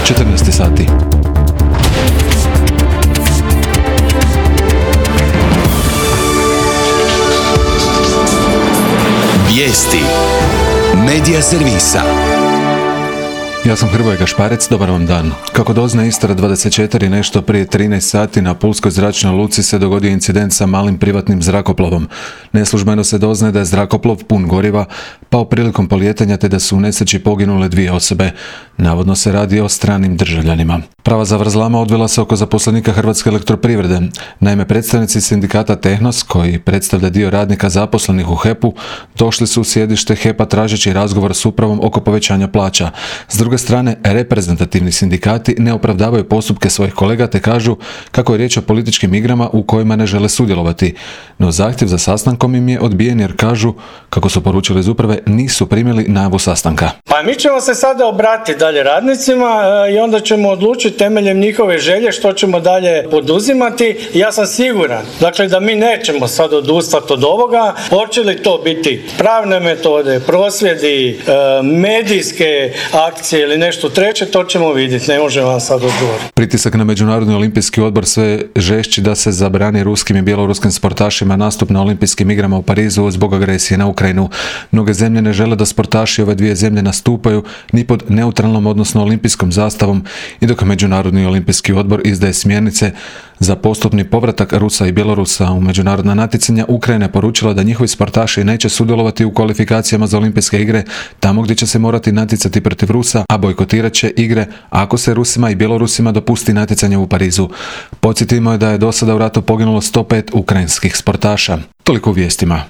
14 sati. Vijesti Medija servisa. Ja sam Hrvoje Gašparec, dobar vam dan. Kako dozna Istra 24, nešto prije 13 sati na Pulskoj zračnoj luci se dogodio incident sa malim privatnim zrakoplovom. Neslužbeno se doznaje da je zrakoplov pun goriva pao prilikom polijetanja te da su u nesreći poginule 2 osobe. Navodno se radi o stranim državljanima. Prava zavrzlama odvila se oko zaposlenika Hrvatske elektroprivrede. Naime, predstavnici sindikata Tehnos, koji predstavlja dio radnika zaposlenih u HEP-u, došli su u sjedište HEP-a tražeći razgovor s upravom oko povećanja plaća. S druge strane, reprezentativni sindikati ne opravdavaju postupke svojih kolega te kažu kako je riječ o političkim igrama u kojima ne žele sudjelovati. No zahtjev za sastankom im je odbijen jer kažu, kako su poručili iz uprave, nisu primili najavu sastanka. Pa mi ćemo se sada obratiti dalje radnicima i onda ćemo odlučiti temeljem njihove želje što ćemo dalje poduzimati. Ja sam siguran, dakle, da mi nećemo sad odustati od ovoga. Hoće li to biti pravne metode, prosvjedi, medijske akcije ili nešto treće, to ćemo vidjeti, ne možemo vam sad odgovoriti. Pritisak na Međunarodni olimpijski odbor sve žešći da se zabrani ruskim i bjeloruskim sportašima nastup na olimpijskim igrama u Parizu zbog agresije na Ukrajinu. Mnoge zemlje ne žele da sportaši ove dvije zemlje nastupaju ni pod neutralnom, odnosno olimpijskom zastavom, i dok Međunarodni olimpijski odbor izdaje smjernice za postupni povratak Rusa i Bjelorusa u međunarodna natjecanja, Ukrajina je poručila da njihovi sportaši neće sudjelovati u kvalifikacijama za olimpijske igre tamo gdje će se morati natjecati protiv Rusa, a bojkotirat će igre ako se Rusima i Bjelorusima dopusti natjecanje u Parizu. Podsjetimo je da je do sada u ratu poginulo 105 ukrajinskih sportaša. Toliko u vijestima.